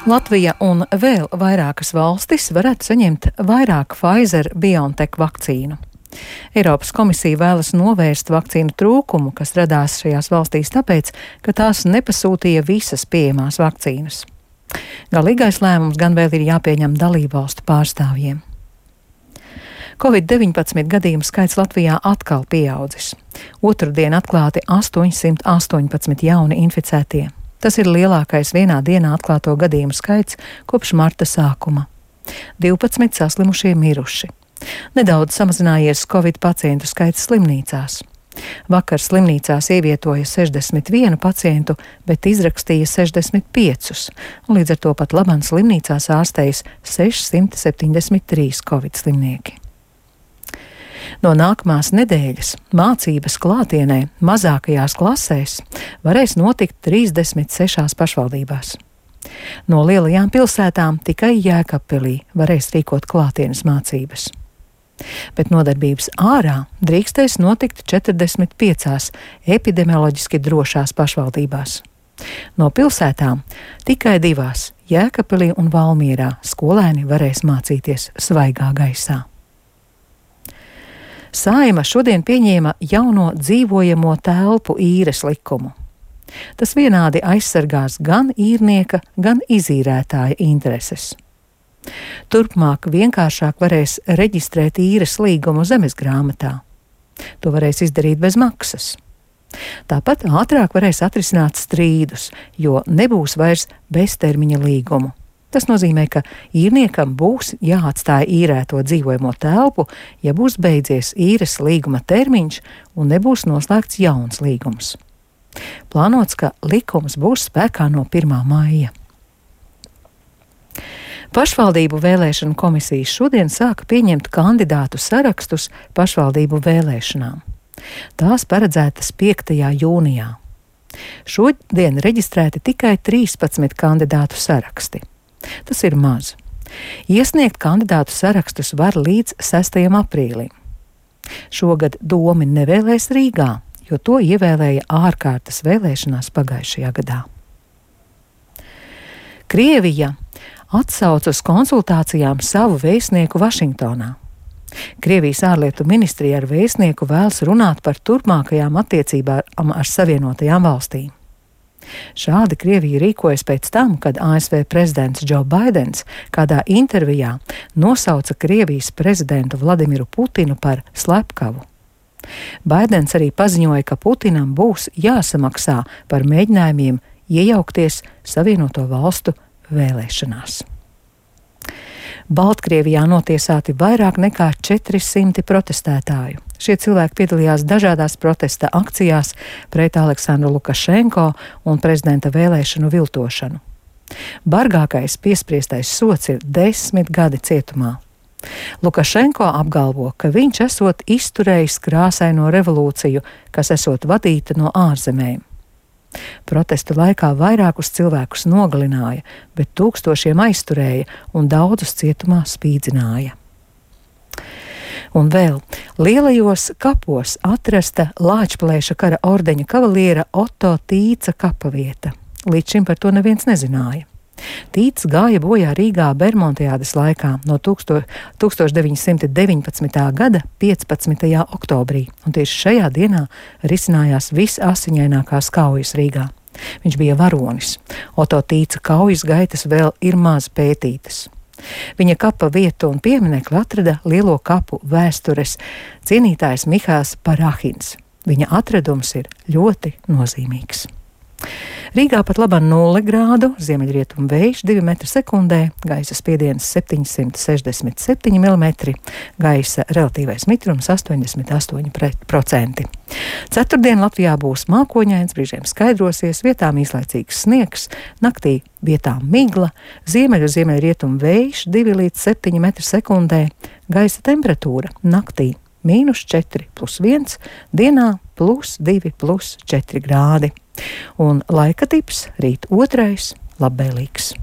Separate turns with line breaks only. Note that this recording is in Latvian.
Latvija un vēl vairākas valstis varētu saņemt vairāk Pfizer-BioNTech vakcīnu. Eiropas komisija vēlas novērst vakcīnu trūkumu, kas radās šajās valstīs tāpēc, ka tās nepasūtīja visas pieejamās vakcīnas. Galīgais lēmums gan vēl ir jāpieņem dalībvalstu pārstāvjiem. Covid-19 gadījumu skaits Latvijā atkal pieaudzis. Otrdien atklāti 818 jauni inficētie. Tas ir lielākais vienā dienā atklāto gadījumu skaits kopš marta sākuma. 12 saslimušie miruši. Nedaudz samazinājies Covid pacientu skaits slimnīcās. Vakar slimnīcās ievietoja 61 pacientu, bet izrakstīja 65, un līdz ar to pat labāk slimnīcās ārstējas 673 Covid slimnieki. No nākamās nedēļas mācības klātienē mazākajās klasēs varēs notikt 36 pašvaldībās. No lielajām pilsētām tikai Jēkabpilī varēs rīkot klātienes mācības. Bet nodarbības ārā drīkstēs notikt 45 epidemioloģiski drošās pašvaldībās. No pilsētām tikai 2 Jēkabpilī un Valmierā skolēni varēs mācīties svaigā gaisā. Saeima šodien pieņēma jauno dzīvojamo telpu īres likumu. Tas vienādi aizsargās gan īrnieka, gan izīrētāja intereses. Turpmāk vienkāršāk varēs reģistrēt īres līgumu zemesgrāmatā. To varēs izdarīt bez maksas. Tāpat ātrāk varēs atrisināt strīdus, jo nebūs vairs beztermiņa līgumu. Tas nozīmē, ka īrniekam būs jāatstāj īrēto dzīvojamo telpu, ja būs beidzies īres līguma termiņš un nebūs noslēgts jauns līgums. Plānots, ka likums būs spēkā no 1. maija. Pašvaldību vēlēšanu komisijas šodien sāka pieņemt kandidātu sarakstus pašvaldību vēlēšanām. Tās paredzētas 5. jūnijā. Šodien reģistrēti tikai 13 kandidātu saraksti. Tas ir maz. Iesniegt kandidātu sarakstus var līdz 6. aprīlim. Šogad Domi nevēlēs Rīgā, jo to ievēlēja ārkārtas vēlēšanās pagājušajā gadā. Krievija atsauc uz konsultācijām savu vēstnieku Vašingtonā. Krievijas ārlietu ministrija ar vēstnieku vēlas runāt par turpmākajām attiecībām ar Savienotajām valstīm. Šādi Krievija rīkojas pēc tam, kad ASV prezidents Džo Baidens kādā intervijā nosauca Krievijas prezidentu Vladimiru Putinu par slepkavu. Baidens arī paziņoja, ka Putinam būs jāsamaksā par mēģinājumiem iejaukties Savienoto valstu vēlēšanās. Baltkrievijā notiesāti vairāk nekā 400 protestētāju. Šie cilvēki piedalījās dažādās protesta akcijās pret Aleksandru Lukašenko un prezidenta vēlēšanu viltošanu. Bargākais piespriestais sods ir 10 gadi cietumā. Lukašenko apgalvo, ka viņš esot izturējis krāsaino revolūciju, kas esot vadīta no ārzemēm. Protestu laikā vairākus cilvēkus nogalināja, bet tūkstošiem aizturēja un daudzus cietumā spīdzināja. Un vēl Lielajos kapos atrasta Lāčplēša kara ordeņa kavaliera Otto Tīca kapavieta. Līdz šim par to neviens nezināja. Tīts gāja bojā Rīgā Bermontiādes laikā no 1919. gada 15. oktobrī, un tieši šajā dienā risinājās visasiņainākās kaujas Rīgā. Viņš bija varonis. Otto Tīca kaujas gaitas vēl ir maz pētītas. Viņa kapa vietu un pieminekli atrada Lielo kapu vēstures cienītājs Mihāls Parahins. Viņa atradums ir ļoti nozīmīgs. Rīgā pat labā 0 grādu, ziemeļrietumu vējš 2 m/sekundē, gaisa spiediens 767 mm, gaisa relatīvais mitrums 88%. Ceturtdien Latvijā būs mākoņains, brīžiem skaidrosies, vietām īslaicīgs sniegs, naktī vietām migla, ziemeļrietumu vējš 2 līdz 7 m/sekundē, gaisa temperatūra naktī -4 + 1, dienā +2 + 4 grādi. Un laika tips rīt 2. labvēlīgs.